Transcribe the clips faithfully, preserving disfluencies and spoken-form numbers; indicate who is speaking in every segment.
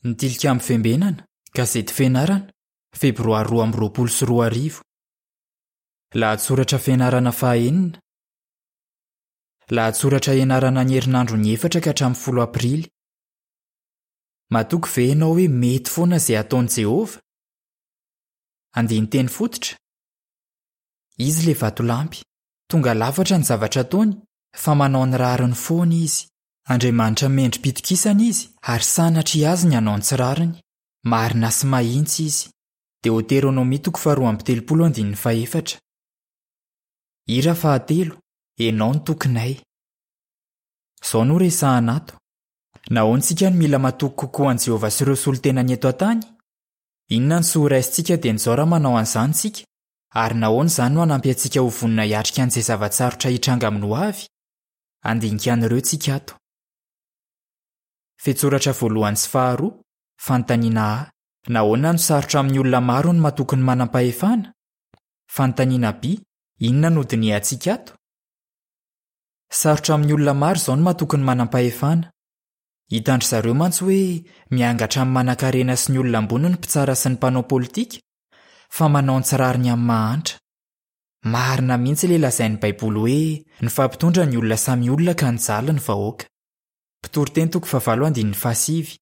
Speaker 1: Ny Tilikambo Fiambenana, Gazety Fianarana, Febroary roa amby roapolo sy roa arivo. Lahatsoratra fianarana fahaenina. Lahatsoratra ianarana ny herinandron'ny efatra ka hatramin'ny folo Aprily. Matoky ve ianao hoe mety foana izay ataon'i Jehovah? Andinin-teny fototra. Izy ilay vatolampy. Tonga lafatra ny zavatra ataony, fa manao ny rariny foana izy. Andriamanitra mendri-pitokisana izy ary sanatria azy ny hanao ny tsy rariny. Marina sy mahitsy izy. Deoteronomia toko faharoa amby telopolo andininy fahefatra. Hira fahatelo, Ianao no tokinay. Izao no resahana ato. Nahoana isika no mila matoky kokoa an'i Jehovah sy ireo solontenany eto an-tany? Inona no soa horaisintsika dieny izao raha manao an'izany isika? Ary nahoana izany no hanampy antsika ho vonona hiatrika an'izay zava-tsarotra hitranga amin'ny hoavy? Handinika an'ireo tsika ato. Fehintsoratra voalohany sy faharoa, Fanontaniana A. Nahoana no sarotra amin'ny olona maro ny matoky ny manam-pahefana? Fanontaniana B. Inona no dinihantsika ato? Sarotra amin'ny olona maro izao ny matoky ny manam-pahefana. Hitan-dry zareo mantsy hoe miangatra amin'ny manankarena sy ny olona ambony ny mpitsara sy ny mpanao politika, fa manao ny tsy rariny amin'ny mahantra. Marina mihitsy ilay lazain'ny Baiboly hoe nifampitondra ny olona samy olona ka nijaly ny vahoaka. Mpitoriteny toko fahavalo andininy fahasivy.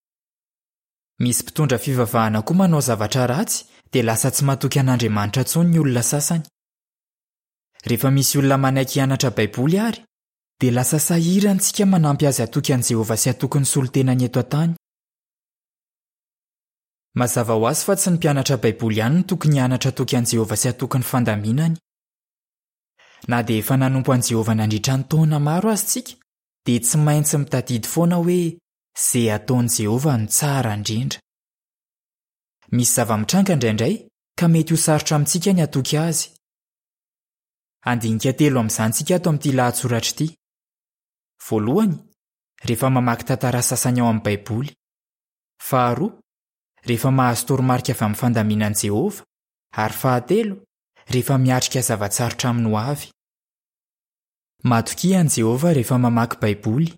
Speaker 1: Misy mpitondra fivavahana koa manao zavatra ratsy dia lasa tsy matoky an'Andriamanitra intsony ny olona sasany. Rehefa misy olona manaiky hianatra Baiboly àry, dia lasa sahirana isika manampy azy hatoky an'i Jehovah sy hatoky ny solontenany eto an-tany. Mazava ho azy fa tsy ny mpianatra Baiboly ihany no tokony hianatra hatoky an'i Jehovah sy hatoky ny fandaminany. Na dia efa nanompo an'i Jehovah nandritra ny taona maro aza isika, dia tsy maintsy mitadidy foana hoe izay ataon'i Jehovah no tsara indrindra. Misy zava-mitranga indraindray ka mety ho sarotra amintsika ny hatoky azy. Handinika telo amin'izany isika ato amin'ity lahatsoratra ity. Voalohany, rehefa mamaky tantara sasany ao amin'ny Baiboly. Faharoa, rehefa mahazo toromarika avy amin'ny fandaminan'i Jehovah. Ary fahatelo, rehefa miatrika zava-tsarotra amin'ny hoavy. Matokia an'i Jehovah rehefa mamaky Baiboly.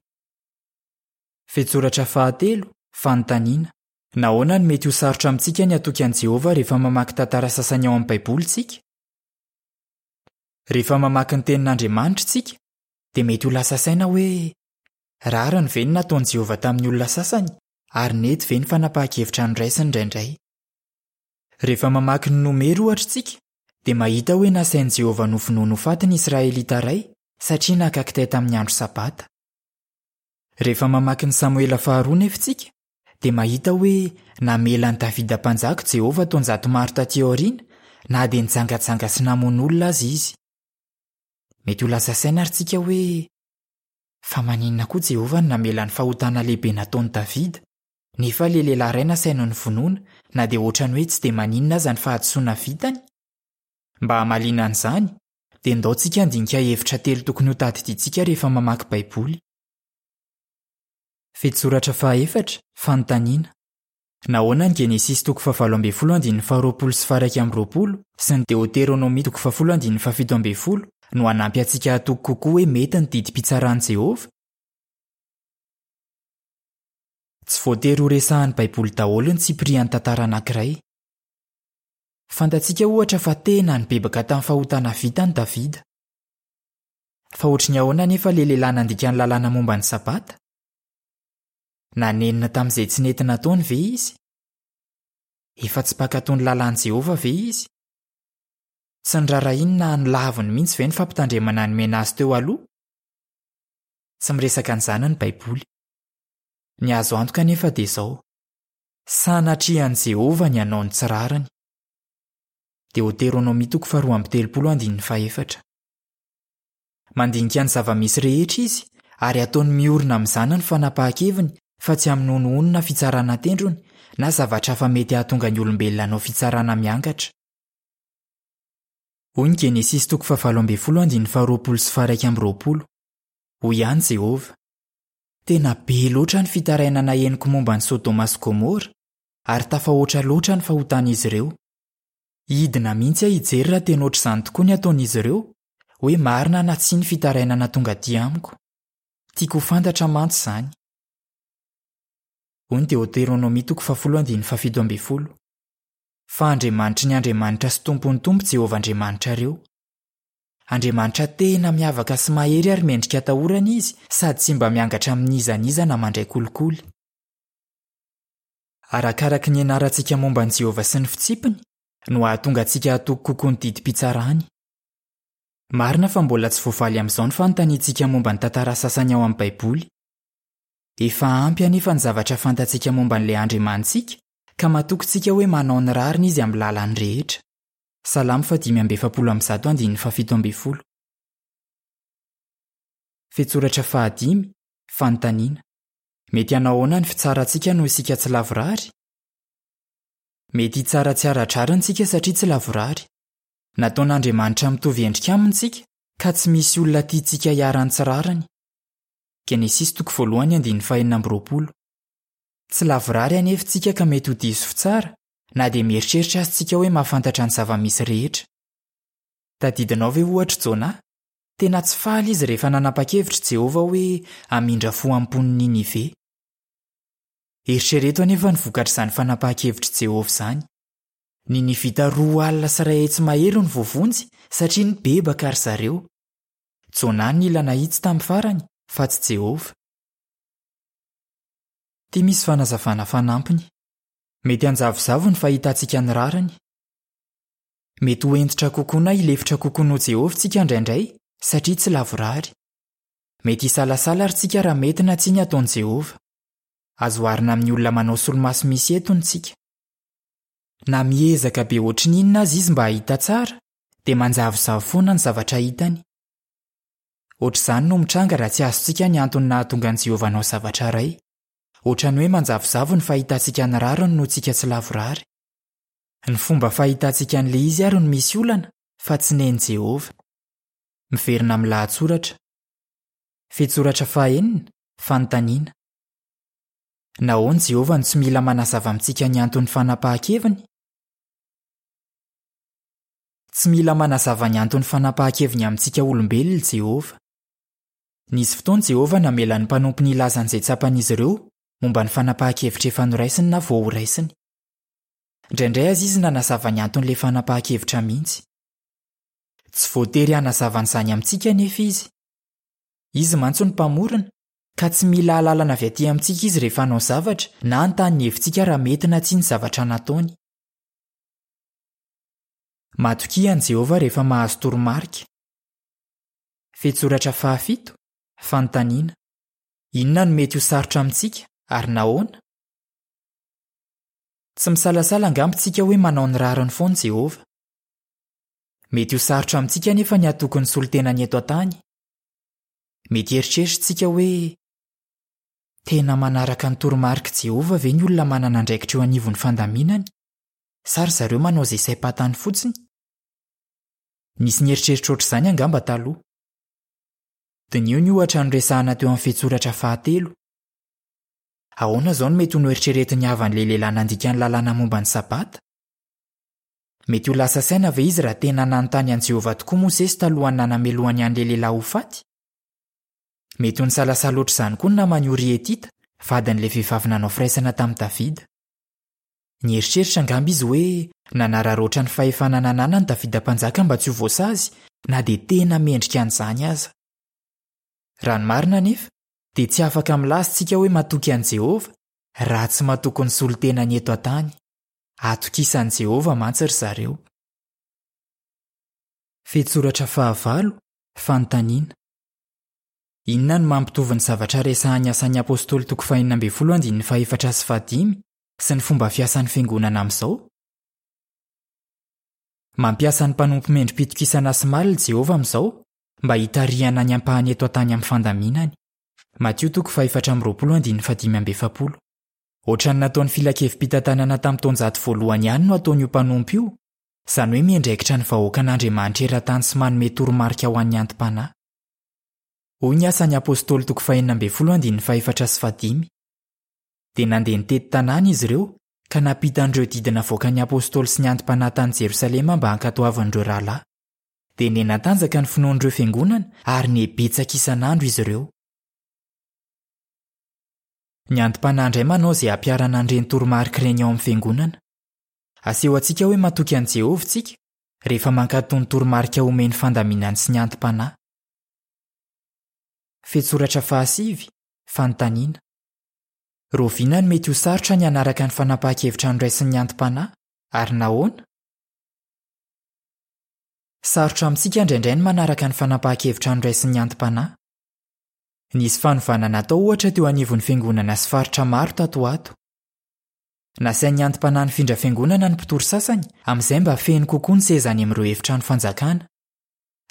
Speaker 1: Fehintsoratra fahatelo, Fanontaniana. Nahoana no mety ho sarotra amintsika ny hatoky an'i Jehovah rehefa mamaky tantara sasany ao amin'ny Baiboly isika? Rehefa mamaky ny Tenin'Andriamanitra isika, dia mety ho lasa saina hoe, 'Rariny ve ny nataon'i Jehovah tamin'ny olona sasany, ary nety ve ny fanapahan-kevitra noraisiny indraindray? Rehefa mamaky ny Nomery, ohatra, isika, dia mahita hoe nasain'i Jehovah novonoiny ho faty ny Israelita iray, satria naka kitay tamin'ny andro Sabata. Rehefa mamaky ny Samoela Faharoa anefa isika, dia mahita hoe namela an'i Davida Mpanjaka i Jehovah taonjato maro tatỳ aoriana, na dia nijangajanga sy namono olona aza izy. Mety ho lasa saina àry isika hoe, 'Fa maninona koa Jehovah no namela ny fahotana lehibe nataon'i Davida, nefa ilay lehilahy iray nasainy novonoina, na dia hoatran'ny hoe tsy dia maninona aza ny fahadisoana vitany? Mba hamaliana an'izany, dia ndao tsika handinika hevitra telo tokony hotadidiantsika rehefa mamaky Baiboly. Fehintsoratra fahaefatra, Fanontaniana. Nahoana ny Genesisy toko fahavalo ambin'ny folo andininy faharoapolo sy faha-iraika amby roapolo sy ny Deoteronomia toko fahafolo andininy fahafito ambin'ny folo no hanampy antsika hatoky kokoa hoe mety ny didim-pitsaran'i Jehovah? Tsy voatery horesahin'ny Baiboly daholo ny tsipirian'ny tantara anankiray. Fantatsika, ohatra, fa tena nibebaka tamin'ny fahotana vitany Davida. Fa hoatry ny ahoana anefa ilay lehilahy nandika ny lalàna momba ny Sabata? Nanenina tamin'izay tsy nety nataony ve izy? Efa tsy mpankatò ny lalàn'i Jehovah ve izy? Tsy niraharahiany na nolaviny mihitsy ve ny fampitandremana nomena azy teo aloha? Tsy miresaka an'izany ny Baiboly. Ny azo antoka anefa dia izao, Sanatria an'i Jehovah ny hanao ny tsy rariny. Deoteronomia toko faharoa amby telopolo andininy fahefatra. Mandinika ny zava-misy rehetra izy ary ataony miorina amin'izany ny fanapahan-keviny fa tsy amin'ny honohono na fitsarana an-tendrony na zavatra hafa mety hahatonga ny olombelona hanao fitsarana miangatra. Hoy ny Genesisy toko fahavalo ambin'ny folo andininy faharoapolo sy faharaika amby roapolo, Hoy ihany Jehovah, Tena be loatra ny fitarainana henoko momba an'i Sodoma sy Gomora, ary tafahoatra loatra ny fahotan'izy ireo. Hidina mihitsy aho hijery raha tena hoatr'izany tokoa ny ataon'izy ireo, hoe marina na tsia ny fitarainana tonga aty amiko. Tiako ho fantatra mantsy izany. Hoy ny Deoteronomia toko fahafolo andininy fahafito ambin'ny folo. Fa Andriamanitry ny andriamanitra sy Tompon'ny tompo Jehovah Andriamanitrareo. Andriamanitra tena miavaka sy mahery ary mendrika atahorana izy sady tsy mba miangatra amin'iza n'iza na mandray kolikoly. Arakaraka ny ianarantsika momba an'i Jehovah sy ny fitsipiny no hahatonga antsika hatoky kokoa ny didim-pitsarany. Marina fa mbola tsy voavaly amin'izao ny fanontaniantsika momba ny tantara sasany ao amin'ny Baiboly. Efa ampy anefa ny zavatra fantatsika momba an'ilay Andriamanitsika ka matoky tsika hoe manao ny rariny izy amin'ny lalany rehetra. Salamo fahadimy amby efapolo amby zato andininy fahafito ambin'ny folo. Fehintsoratra fahadimy, fanontaniana. Mety hanao ahoana ny fitsarantsika noho isika tsy lavorary? Mety hitsara tsy ara-drariny isika satria tsy lavorary. Nataon'Andriamanitra mitovy endrika aminy isika ka tsy misy olona tiantsika hiharan'ny tsy rariny. Genesisy toko voalohany andininy fahenina amby roapolo. Tsy lavorary anefa isika ka mety ho diso fitsara na dia mieritreritra aza isika hoe mahafantatra ny zava-misy rehetra. Tadidinao ve ohatra Jona? Tena tsy faly izy rehefa nanapa-kevitra Jehovah hoe hamindra fo amin'ny mponin'i Ninive. Eritrereto anefa ny vokatr'izany fanapahan-kevitr'i Jehovah izany. Ninivita roa alina sy iray hetsy mahery no voavonjy satria nibebaka ry zareo. Jona no nila nahitsy tamin'ny farany fa tsy Jehovah. Ity misy fanazavana fanampiny. Mety hanjavozavo ny fahitantsika ny rariny. Mety ho hentitra kokoa na hilefitra kokoa noho Jehovah tsika indraindray satria tsy lavorary. Mety hisalasala ary tsika raha mety na tsia ny ataon'i Jehovah. Azo oharina amin'ny olona manao solomaso misy etona isika. Na miezaka be ohatry ny inona aza izy mba hahita tsara, dia manjavozavo foana ny zavatra hitany. Ohatr'izany no mitranga raha tsy azontsika ny antony nahatonga an'i Jehovah hanao zavatra iray. Ohatran'ny hoe manjavozavo ny fahitantsika ny rariny noho tsika tsy lavorary. Ny fomba fahitantsika an'ilay izy ary no misy olana fa tsy nen'i Jehovah. Miverina amin'ny lahatsoratra. Fehintsoratra fahaenina, fanontaniana. Nahoana Jehovah no tsy mila manazava amintsika ny anton'ny fanapahan-keviny? Tsy mila manazava ny anton'ny fanapahan-keviny amintsika olombelona Jehovah. Nisy fotoana Jehovah namela ny mpanompony hilaza an'izay tsapan'izy ireo momba ny fanapahan-kevitra efa noraisiny na vao horaisiny. Indraindray aza izy nanazava ny anton'ilay fanapahan-kevitra mihitsy. Tsy voatery hanazava an'izany amintsika anefa izy. Izy mantsy no mpamorona ka tsy mila alalana avy aty amintsika izy rehefa hanao zavatra na hanontany ny hevitsika raha mety na tsia ny zavatra nataony. Matokia an'i Jehovah rehefa mahazo toromarika. Fehintsoratra fahafito, fanontaniana. Inona no mety ho sarotra amintsika ary nahoana? Tsy misalasala angamba isika hoe manao ny rariny foana Jehovah. Mety ho sarotra amintsika anefa ny hatoky ny solontenany eto an-tany. Mety hieritreritra isika hoe tena manaraka ny toromarik'i Jehovah ve ny olona manana andraikitra eo anivon'ny fandaminany? Sa ry zareo manao izay saim-pantany fotsiny? Nisy nieritreritra ohatr'izany angamba taloha. Diniho ny ohatra noresahana teo amin'ny fehintsoratra fahatelo. Ahoana izao no mety ho noeritreretin'ny havan'ilay lehilahy nandika ny lalàna momba ny Sabata? Mety ho lasa saina ve izy raha tena nanontany an'i Jehovah tokoa Mosesy talohan'ny nanamelohany an'ilay lehilahy ho faty? Mety ho nisalasala ohatr'izany koa ny naman'i Oria Hetita, vadin'ilay vehivavy nanao firaisana tamin'i Davida. Nieritreritra angamba izy hoe nanararaotra ny fahefana nananany Davida mpanjaka mba tsy ho voasazy na dia tena mendrika an'izany aza. Raha ny marina anefa, dia tsy afaka milaza isika hoe matoky an'i Jehovah raha tsy matoky ny solontenany eto an-tany. Atokisan'i Jehovah mantsy ry zareo. Fehintsoratra fahavalo, fanontaniana. Inona no mampitovy ny zavatra resahan'ny asan'ny Apostoly toko fahenina ambin'ny folo andininy fahefatra sy fahadimy sy ny fomba fiasan'ny fiangonana amin'izao? Mampiasa ny mpanompo mendri-pitokisana sy malina Jehovah amin'izao mba hitarihana ny ampahany eto an-tany amin'ny fandaminany. Matio toko fahefatra amby roapolo andininy fahadimy amby efapolo. Ohatran'ny nataon'ny filankevi-pitantanana tamin'ny taonjato voalohany ihany no ataon'io mpanompo io, izany hoe miandraikitra ny vahoakan'Andriamanitra eran-tany sy manome toromarika ho an'ny anti-panahy. Hoy ny asan'ny Apostoly toko fahenina ambin'ny folo andininy fahefatra sy fahadimy. Dia nandeha nitety tanàna izy ireo ka nampita an'ireo didy navoakan'ny Apostoly sy ny anti-panahy tany Jerosalema mba hankatoavin'ireo rahalahy. Dia niha-natanjaka ny finoan'ireo fiangonana ary niha-betsaka isan'andro izy ireo. Ny anti-panahy indray manao izay hampiharana an'ireny toromarika ireny ao amin'ny fiangonana. Asehontsika hoe matoky an'i Jehovah isika rehefa mankatò ny toromarika omen'ny fandaminany sy ny anti-panahy. Fehintsoratra fahasivy, fanontaniana. Rahoviana no mety ho sarotra ny hanaraka ny fanapahan-kevitra noraisin'ny anti-panahy ary nahoana? Sarotra amintsika indraindray ny manaraka ny fanapahan-kevitra noraisin'ny anti-panahy. Nisy fanovana natao ohatra teo anivon'ny fiangonana sy faritra maro tato ho ato. Nasain'ny anti-panahy nifindra fiangonana ny mpitory sasany amin'izay mba feno kokoa ny seza any amin'ireo efitrano fanjakana.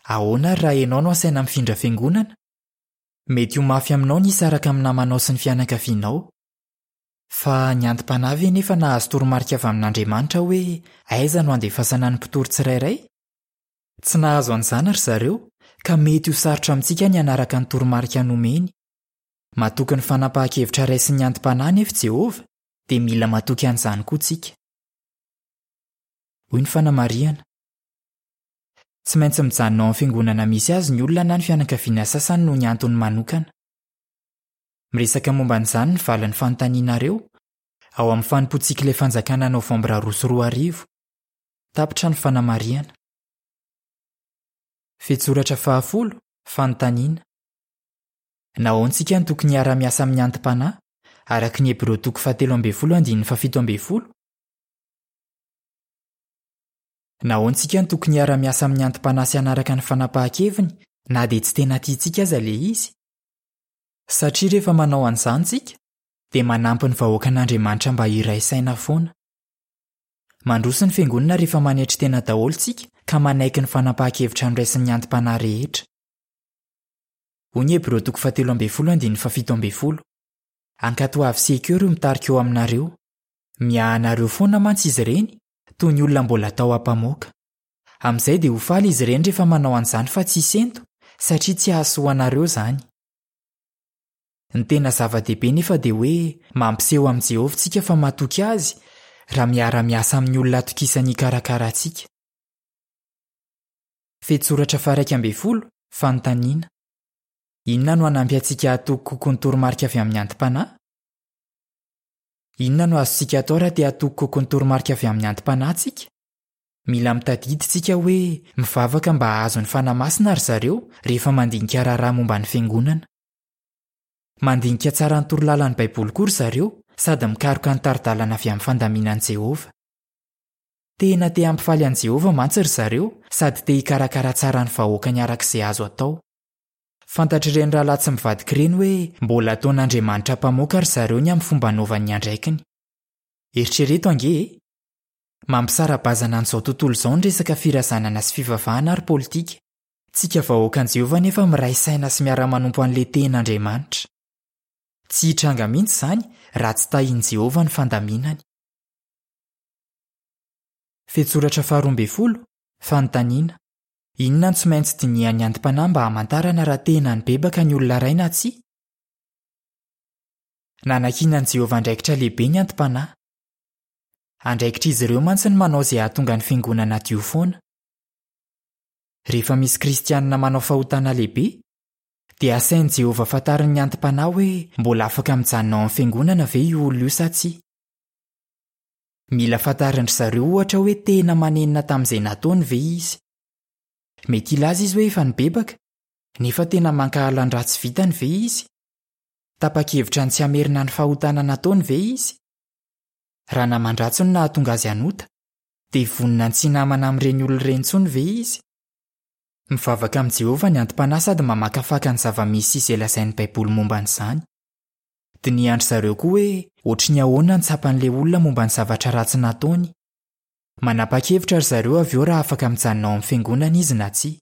Speaker 1: Ahoana ary raha ianao no asaina mifindra fiangonana? Mety ho mafy aminao ny hisaraka amin'ny namanao sy ny fianakavianao. Fa ny anti-panahy ve nefa nahazo toromarika avy amin'Andriamanitra hoe aiza no handefasana ny mpitory tsirairay? Tsy nahazo an'izany ry zareo ka mety ho sarotra amintsika ny hanaraka ny toromarika nomeny. Matoky ny fanapahan-kevitra raisin'ny anti-panahy nefa Jehovah, dia mila matoky an'izany koa tsika. Hoy ny fanamarihana. Tsy maintsy mijanona ao amin'ny fiangonana misy azy ny olona na ny fianakaviana sasany noho ny antony manokana. Miresaka momba an'izany ny valin'ny fanontanianareo ao amin'ny fanompoantsika ilay fanjakana novambra roa sy roa arivo. Tapitra ny fanamarihana. Fehintsoratra fahafolo, fanontaniana. Nahoana isika no tokony hiara-miasa amin'ny anti-panahy, araka ny Hebreo toko fahatelo ambin'ny folo andininy fahafito ambin'ny folo? Nahoana isika no tokony hiara-miasa amin'ny anti-panahy sy hanaraka ny fanapahan-keviny na dia tsy tena tiantsika aza ilay izy? Satria rehefa manao an'izany isika, dia manampy ny vahoakan'Andriamanitra mba hiray saina foana. Mandroso ny fiangonana rehefa manetry tena daholo isika ka manaiky ny fanapahan-kevitra noraisin'ny anti-panahy rehetra. Hoy ny Hebreo toko fahatelo ambin'ny folo andininy fahafito ambin'ny folo. Ankatoavy sy ekeo ireo mitarika eo aminareo. Miahy anareo foana mantsy izy ireny, toy ny olona mbola atao ampamoaka. Amin'izay dia ho faly izy ireny rehefa manao an'izany fa tsy hisento, satria tsy hahasoa anareo izany. Ny tena zava-dehibe nefa dia hoe mampiseho amin'i Jehovah isika fa matoky azy raha miara-miasa amin'ny olona atokisany hikarakara antsika. Fehintsoratra faha-iraika ambin'ny folo, fanontaniana. Inona no hanampy antsika hatoky kokoa ny toromarika avy amin'ny anti-panahy? Inona no azontsika atao raha te hatoky kokoa ny toromarika avy amin'ny anti-panahy tsika? Mila mitadidy tsika hoe mivavaka mba hahazo ny Fanahy Masina ry zareo rehefa mandinika raharaha momba ny fiangonana. Mandinika tsara ny torolalan'ny Baiboly koa ry zareo sady mikaroka ny tari-dalana avy amin'ny fandaminan'i Jehovah. Tena te hampifaly an'i Jehovah mantsy ry zareo sady te hikarakara tsara ny vahoakany araka izay azo atao. Fantatr'ireny rahalahy tsy mivadika ireny hoe mbola ataon'Andriamanitra mpamoaka ry zareo ny amin'ny fomba anaovany ny andraikiny. Eritrereto ange e! Mampisara-bazana an'izao tontolo izao ny resaka firazanana sy fivavahana ary politika. Tsika vahoakan'i Jehovah nefa miray saina sy miara-manompo an'ilay tena Andriamanitra. Tsy hitranga mihitsy izany raha tsy tahin'i Jehovah ny fandaminany. Fehintsoratra faharoa ambin'ny folo, fanontaniana. Inona no tsy maintsy dinihan'ny anti-panahy mba hamantarana raha tena nibebaka ny olona iray na tsia? Nanankinan'i Jehovah andraikitra lehibe ny anti-panahy. Andraikitr'izy ireo mantsy ny manao izay hahatonga ny fiangonana hadio foana. Rehefa misy kristianina manao fahotana lehibe, dia asain'i Jehovah fantarin'ny anti-panahy hoe mbola afaka mijanona ao amin'ny fiangonana ve io olona io sa tsia. Mila fantarin-dry zareo ohatra hoe tena manenina tamin'izay nataony ve izy. Mety hilaza izy hoe efa nibebaka, nefa tena mankahala ny ratsy vitany ve izy? Tapa-kevitra ny tsy hamerina ny fahotana nataony ve izy? Raha naman-dratsy no nahatonga azy hanota, dia vonona ny tsy hinamana amin'ireny olona ireny intsony ve izy? Mivavaka amin'i Jehovah ny anti-panahy sady mamakafaka ny zava-misy sy izay lazain'ny Baiboly momba an'izany. Dinihan-dry zareo koa hoe ohatry ny ahoana ny tsapan'ilay olona momba ny zavatra ratsy nataony. Manapa-kevitra ry zareo avy eo raha afaka mijanona ao amin'ny fiangonana izy na tsia.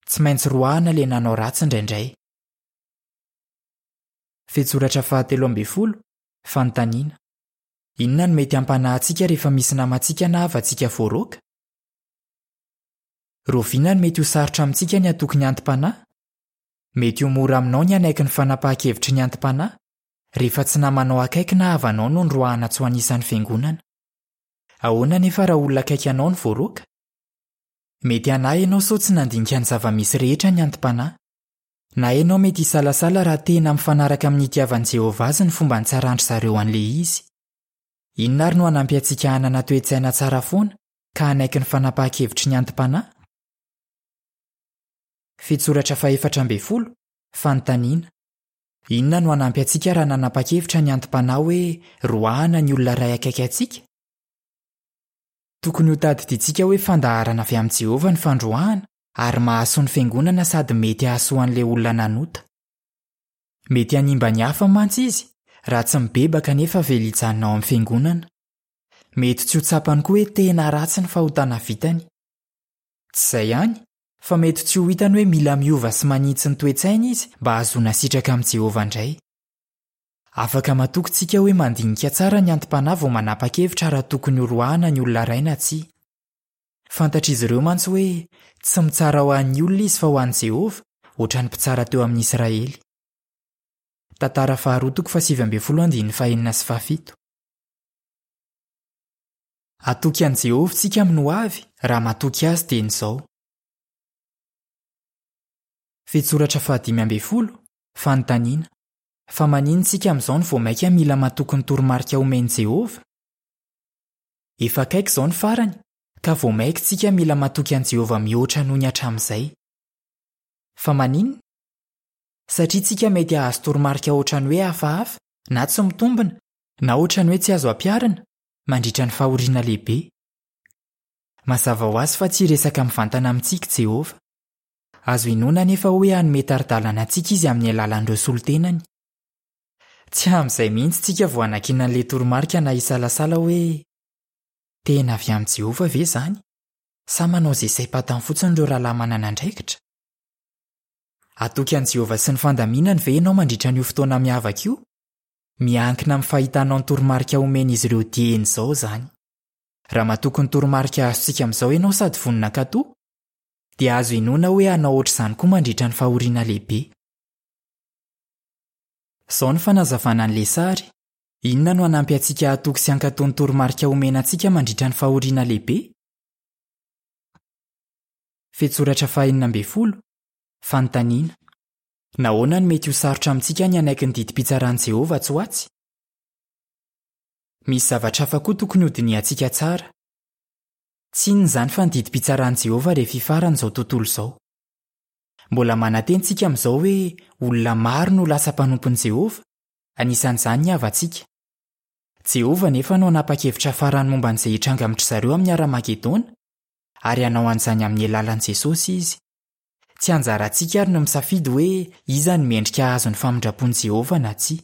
Speaker 1: Tsy maintsy roahina ilay nanao ratsy indraindray. Fehintsoratra fahatelo ambin'ny folo, fanontaniana. Inona no mety hampanahy antsika rehefa misy namantsika na havantsika voaroaka? Rahoviana no mety ho sarotra amintsika ny hatoky ny anti-panahy? Mety ho mora aminao ny hanaiky ny fanapahan-kevitry ny anti-panahy rehefa tsy namanao akaiky na havanao no noroahana tsy ho anisan'ny fiangonana. Ahoana nefa raha olona akaiky anao no voaroaka? Mety hanahy ianao sao tsy nandinika ny zava-misy rehetra ny anti-panahy. Na ianao mety hisalasala raha tena mifanaraka amin'ny itiavan'i Jehovah azy ny fomba nitsaran-dry zareo an'ilay izy. Inona ary no hanampy antsika hanana toe-tsaina tsara foana ka hanaiky ny fanapahan-kevitry ny anti-panahy? Fehintsoratra fahefatra ambin'ny folo, Fanontaniana. Inona no hanampy antsika raha nanapa-kevitra ny anti-panahy hoe roahana ny olona iray akaiky antsika? Tokony hotadidintsika hoe fandaharana avy amin'i Jehovah ny fandroahana ary mahasoa ny fiangonana sady mety hahasoa an'ilay olona nanota. Mety hanimba ny hafa mantsy izy raha tsy mibebaka nefa avela hijanona ao amin'ny fiangonana. Mety tsy ho tsapany koa hoe tena ratsy ny fahotana vitany. Tsy izay ihany, fa mety tsy ho hitany hoe mila miova sy manitsy ny toe-tsainy izy mba hahazoana sitraka amin'i Jehovah indray. Afaka matoky tsika hoe mandinika tsara ny anti-panahy vao manapa-kevitra raha tokony horoahana ny olona iray na tsia. Fantatr'izy ireo mantsy hoe tsy mitsara ho an'ny olona izy fa ho an'i Jehovah, ohatran'ny mpitsara teo amin'ny Israely. Tantara faharoa toko fahasivy ambin'ny folo andininy fahenina sy fahafito. Hatoky an'i Jehovah tsika amin'ny hoavy raha matoky azy dieny izao. Fehintsoratra fahadimy ambin'ny folo, Fanontaniana. Fa maninona isika amin'izao no vao mainka mila matoky ny toromarika omen'i Jehovah? Efa akaiky izao ny farany, ka vao mainka tsika mila matoky an'i Jehovah mihoatra noho ny hatramin'izay. Fa maninona? Satria tsika mety hahazo toromarika ohatran'ny hoe hafahafa na tsy mitombina na ohatran'ny hoe tsy azo ampiharina mandritra ny fahoriana lehibe. Mazava ho azy fa tsy hiresaka mivantana amintsika Jehovah. Azo inoana anefa hoe hanome tari-dalana antsika izy amin'ny alalan'ireo solontenany. Tsy amin'izay mihitsy tsika vao hanakiana an'ilay toromarika na hisalasala hoe tena avy amin'i Jehovah ve izany? Sa manao izay saim-pantany fotsiny ireo rahalahy manana andraikitra? Hatoky an'i Jehovah sy ny fandaminany ve ianao mandritra an'io fotoana miavaka io? Miankina amin'ny fahitanao ny toromarika omen'izy ireo dieny izao izany. Raha matoky ny toromarika azontsika amin'izao ianao sady vonona hankatò, dia azo inoana hoe hanao ohatr'izany koa mandritra ny fahoriana lehibe. Izao ny fanazavana an'ilay sary. Inona no hanampy antsika hatoky sy hankatò ny toromarika omena antsika mandritra ny fahoriana lehibe? Fehintsoratra fahenina ambin'ny folo, Fanontaniana. Nahoana no mety ho sarotra amintsika ny hanaiky ny didim-pitsaran'i Jehovah tsy ho atsy? Misy zavatra hafa koa tokony hodinihantsika tsara. Tsy inona izany fa ny didim-pitsaran'i Jehovah rehefa hifarana izao tontolo izao. Mbola manantena isika amin'izao hoe olona maro no lasa mpanompon'i Jehovah, anisan'izany ny havantsika. Jehovah nefa no hanapa-kevitra farany momba an'izay hitranga amin-dry zareo amin'ny Haramagedona, ary hanao an'izany amin'ny alalan'i Jesosy izy. Tsy anjarantsika ary no misafidy hoe iza no mendrika hahazo ny famindram-pon'i Jehovah na tsia.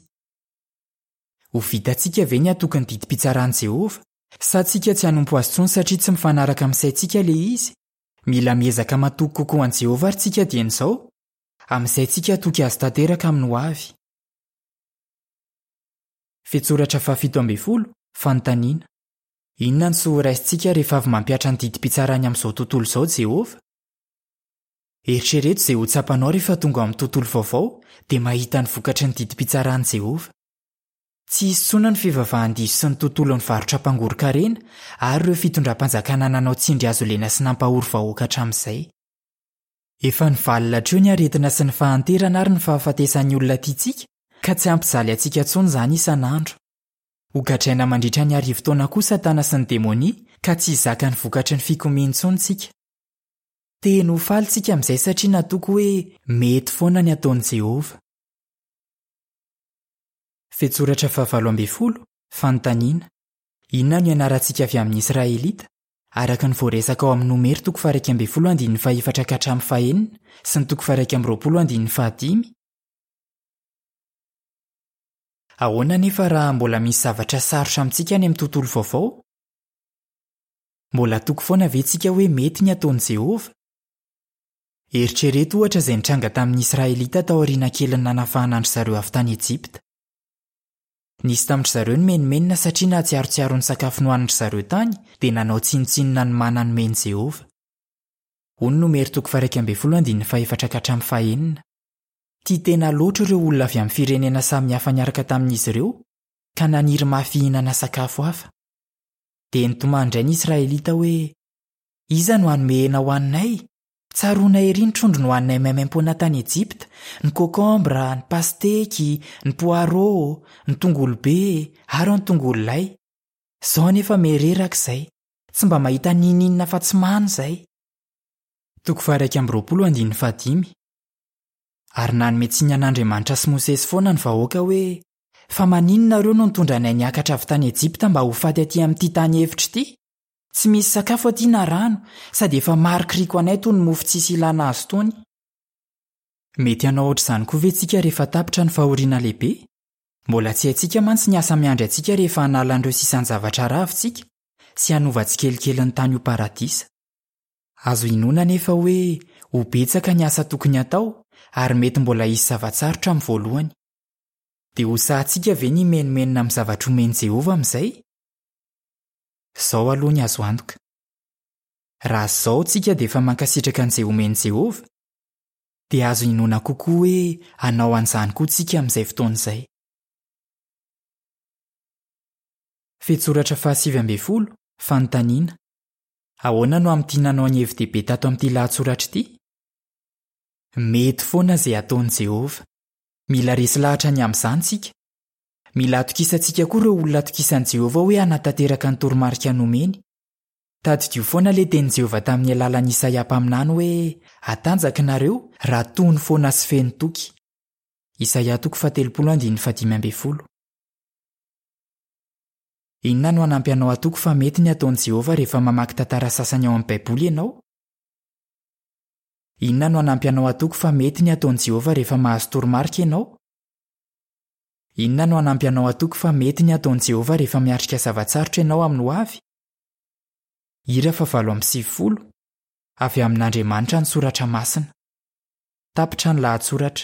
Speaker 1: Ho vitantsika ve ny hatoky ny didim-pitsaran'i Jehovah? Sa tsika tsy hanompo azy intsony satria tsy mifanaraka amin'ny saintsika ilay izy? Mila miezaka matoky kokoa an'i Jehovah ary tsika dieny izao, amin'izay tsika hatoky azy tanteraka amin'ny hoavy. Fehintsoratra fahafito ambin'ny folo, Fanontaniana. Inona no soa horaisintsika rehefa avy mampihatra ny didim-pitsarany amin'izao tontolo izao Jehovah? Eritrereto izay ho tsapanao rehefa tonga ao amin'ny tontolo vaovao dia mahita ny vokatry ny didim-pitsaran'i Jehovah. Tsy hisy intsony ny fivavahan-diso sy ny tontolon'ny varotra mpangoron-karena ary ireo fitondram-panjakana nanao tsindry hazo lena sy nampahory vahoaka hatramin'izay. Efa nivalona hatreo ny aretina sy ny fahanterana ary ny fahafatesan'ny olona tiantsika ka tsy hampijaly antsika intsony izany isan'andro. Hogadraina mandritra ny arivo taona koa Satana sy ny demonia ka tsy hizaka ny vokatry ny fikomiany intsony tsika. Tena ho faly tsika amin'izay satria natoky hoe mety foana ny ataon'i Jehovah. Fehintsoratra fahavalo ambin'ny folo, Fanontaniana. Inona no ianarantsika avy amin'ny Israelita, araka ny voaresaka ao amin'ny Nomery toko faha-iraika ambin'ny folo andininy fahefatra ka hatramin'ny fahenina sy ny toko faha-iraika amby roapolo andininy fahadimy? Ahoana anefa raha mbola misy zavatra sarotra amintsika any amin'ny tontolo vaovao? Mbola hatoky foana ve tsika hoe mety ny ataon'i Jehovah? Eritrereto ohatra izay nitranga tamin'ny Israelita taoriana kelin'ny nanafahana an-dry zareo avy tany Ejipta. Nisy tamin-dry zareo nimenomenona satria nahatsiarotsiaro ny sakafo nohanin-dry zareo tany dia nanao tsinontsinona ny mana nomen'i Jehovah. Hoy ny Nomery toko faha-iraika ambin'ny folo andininy fahefatra ka hatramin'ny fahenina. Tia tena loatra ireo olona avy amin'ny firenena samihafa niaraka tamin'izy ireo ka naniry mafy hihinana sakafo hafa. Dia nitomany indray ny Israelita hoe, Iza no hanome hena ho haninay? Tsaroana ery ny trondro nohaninay maimaimpoana tany Ejipta, ny kôkômbra, ny pasteky, ny poarô, ny tongolo be ary ny tongolo lay. Izao anefa miha-reraka izahay. Tsy mba mahita n'inon'inona afa-tsy mana izahay. Toko faha-iraika amby roapolo andininy fahadimy. Ary nanome tsiny an'Andriamanitra sy Mosesy foana ny vahoaka hoe, Fa maninona nareo no nitondra anay niakatra avy tany Ejipta mba ho faty aty amin'ity tany efitra ity? Tsy misy sakafo aty na rano, sady efa marikoriko anay toy ny mofo tsisy ilana azy itony. Mety hanao hoatr'izany koa ve tsika rehefa tapitra ny fahoriana lehibe? Mbola tsy haintsika mantsy ny asa miandry antsika rehefa hanala an'ireo sisan-javatra rava isika, sy hanova tsikelikely ny tany ho paradisa. Azo inoana anefa hoe ho betsaka ny asa tokony hatao, ary mety mbola hisy zava-tsarotra amin'ny voalohany. Dia ho sahintsika ve ny himenomenona amin'ny zavatra omen'i Jehovah amin'izay? Izao aloha ny azo antoka. Raha izao tsika dia efa mankasitraka an'izay omen'i Jehovah, dia azo inoana kokoa hoe hanao an'izany koa tsika amin'izay fotoana izay. Fehintsoratra fahasivy ambin'ny folo, Fanontaniana. Ahoana no hamintinanao ny hevi-dehibe tato amin'ity lahatsoratra ity? Mety foana izay ataon'i Jehovah. Mila resy lahatra ny amin'izany isika. Mila atokisantsika koa ireo olona atokisan'i Jehovah hoe hanatanteraka ny toromarika nomeny. Tadidio foana ilay tenin'i Jehovah tamin'ny alalan'i Isaia mpaminany hoe, Hatanjaka nareo raha tony foana sy feno toky. Isaia toko fahatelopolo andininy fahadimy ambin'ny folo. Inona no hanampy anao hatoky fa mety ny ataon'i Jehovah rehefa mamaky tantara sasany ao amin'ny Baiboly ianao? Inona no hanampy anao hatoky fa mety ny ataon'i Jehovah rehefa mahazo toromarika ianao? Inona no hanampy anao hatoky fa mety ny ataon'i Jehovah rehefa miatrika zava-tsarotra ianao amin'ny hoavy? Hira fahavalo amby sivifolo. Avy amin'Andriamanitra ny Soratra Masina. Tapitra ny lahatsoratra.